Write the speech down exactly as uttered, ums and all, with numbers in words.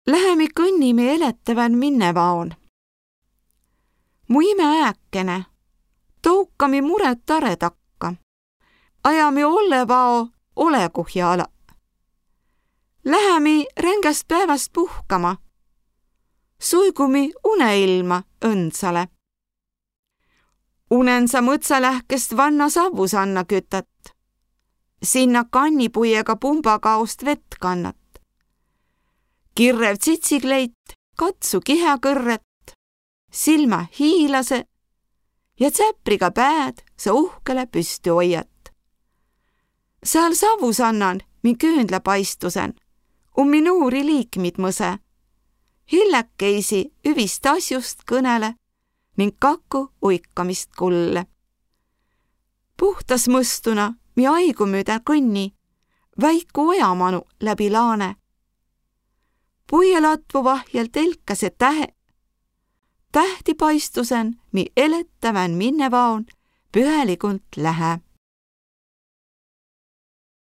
Lähemi kõnnimi elettävän minnevaon. Mu ime ääkene, toukami muret tare takka. Ajami ollevao olekuhja ala. Lähemi rängäst päeväst puhkama. Suigumi uneilma õndsale. Unensa mõtsalähkest vanna savusanna kütat. Sinna kannipuiega pumbakaost vett kannat. Kirrev tsitsikleit, katsu kihakõrret, silma hiilase ja tsäpriga pääd sa uhkele püsti hoiat. Seal savusannan mi küünlapaistusen, um mi nuuri liikmid mõse. Hillekeisi üvist asjust kõnele ning kaku uikamist kulle. Puhtas mõstuna mi aigumüüdä kõnni, väiku ojamanu läbi laane. Puielatvu vahjel telkase tähe. Tähti paistusen mi elettävän minnevaon pühelikunt lähe.